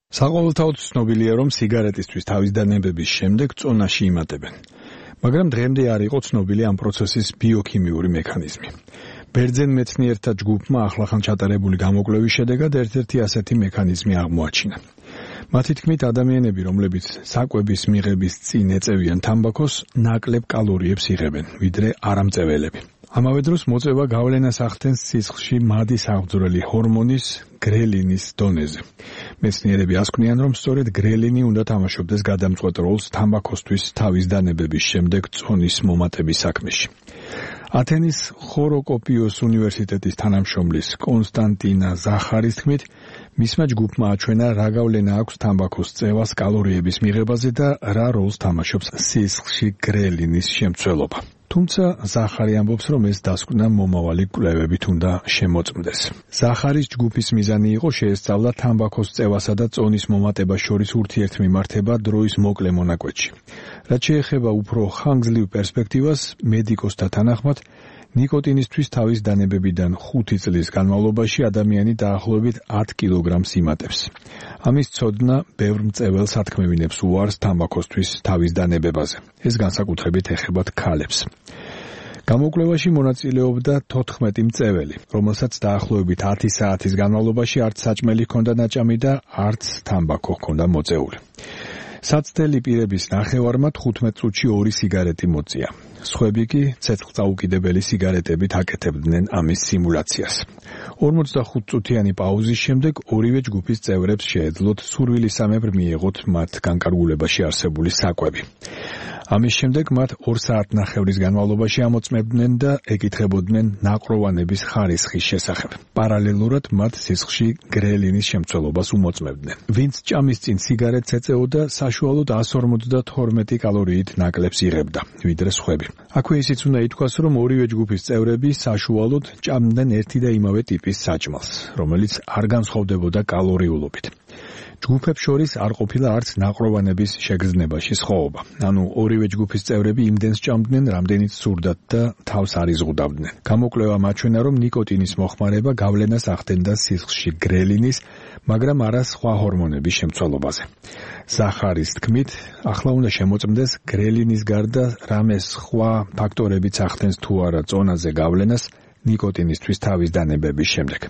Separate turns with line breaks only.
საყოველთაოდ ცნობილია, რომ სიგარეტისთვის თავის დანებების შემდეგ წონაში იმატებენ. მაგრამ დღემდე არ იყო ცნობილი ამ პროცესის ბიოქიმიური მექანიზმი. ბერძენ მეცნიერთა ჯგუფმა ახლახან ჩატარებული გამოკვლევის შედეგად ერთ-ერთი ასეთი მექანიზმი აღმოაჩინა. მათი თქმით, ადამიანები, რომლებიც საკვების მიღების წინ ეწევიან თამბაქოს, ნაკლებ კალორიებს იღებენ, ვიდრე არამწეველები. ამავე დროს მოწევა გავლენას ახდენს სისხლში მადი საღვძრელი ჰორმონის გრელინის დონეზე. მეცნიერები ასკვნიან, რომ სწორედ გრელინი უნდა თამაშობდეს გადამწყვეტ როლს თამბაქოსთვის თავის დანებების შემდეგ წონის მომატების საქმეში. ათენის ხოროკოპიოს უნივერსიტეტის თანამშრომლის კონსტანტინა ზახარის თქმით, მისმა ჯგუფმა აჩვენა, რა გავლენა აქვს თამბაქოს წევას კალორიების მიღებაზე და რა როლს თამაშობს სისხლში გრელინის შემცველობა. თუმცა ზახარი ამბობს, რომ ეს დასკვნა მომავალი კვლევებით უნდა შემოწმდეს. ზახარის ჯგუფის მიზანი იყო შეესწავლა თამბაქოს წევასა და წონის მომატებას შორის ურთიერთმიმართება დროის მოკლე მონაკვეთში. რაც შეეხება უფრო ხანგრძლივ პერსპექტივას, მედიკოსთა თანახმად, ნიკოტინისთვის თავის დანებებიდან 5 წლის განმავლობაში ადამიანი დაახლოებით 10 კილოგრამს იმატებს. ამის ცოდნა ბევრ მწეველს ათქმევინებს უარს თამბაქოსთვის თავის დანებებაზე. ეს განსაკუთრებით ეხებათ ქალებს. გამოკვლევაში მონაწილეობდა 14 მწეველი, რომელსაც დაახლოებით 10 საათის განმავლობაში არც საჭმელი ჰქონდა ნაჭამი და არც თამბაქო ჰქონდა მოწეული. საცდელი პირების ნახევარმა 15 წუთში 2 სიგარეტი მოწია. სხვები კი ცეცხლწაუკიდებელი სიგარეტებით აკეთებდნენ ამის სიმულაციას. 45 წუთიანი პაუზის შემდეგ ორივე ჯგუფის წევრებს შეეძლოთ სურვილისამებრ მიეღოთ მათ განკარგულებაში არსებული საკვები. ამის შემდეგ მათ 2 საათნახევრის განმავლობაში ამოწმებდნენ და ეკითხებოდნენ ნაყროვანების ხარისხის შესახებ. პარალელურად მათ სისხლში გრელინის შემცველობას უმოწმებდნენ. ვინც ჭამის წინ სიგარეტს ეწეოდა, საშუალოდ 152 კალორიით ნაკლებს იღებდა, ვიდრე სხვები. აქვე ისიც უნდა ითქვას, რომ ორივე ჯგუფის წევრები საშუალოდ ჭამდნენ ერთი და იმავე ტიპის საჭმელს, რომელიც არ განსხვავდებოდა კალორიულობით. ჯგუფებს შორის არ ყოფილა არც ნაყროვანების შეგრძნებაში სხვაობა. ანუ ორივე ჯგუფის წევრები იმდენს ჭამდნენ, რამდენიც სურდათ და თავს არ იზღუდავდნენ. გამოკვლევამ აჩვენა, რომ ნიკოტინის მოხმარება გავლენას ახდენდა სისხლში გრელინის, მაგრამ არა სხვა ჰორმონების შემცველობაზე. ზახარის თქმით, ახლა უნდა შემოწმდეს გრელინის გარდა რამე სხვა ფაქტორებიც ახდენს თუ არა წონაზე გავლენას ნიკოტინისთვის თავის დანებების შემდეგ.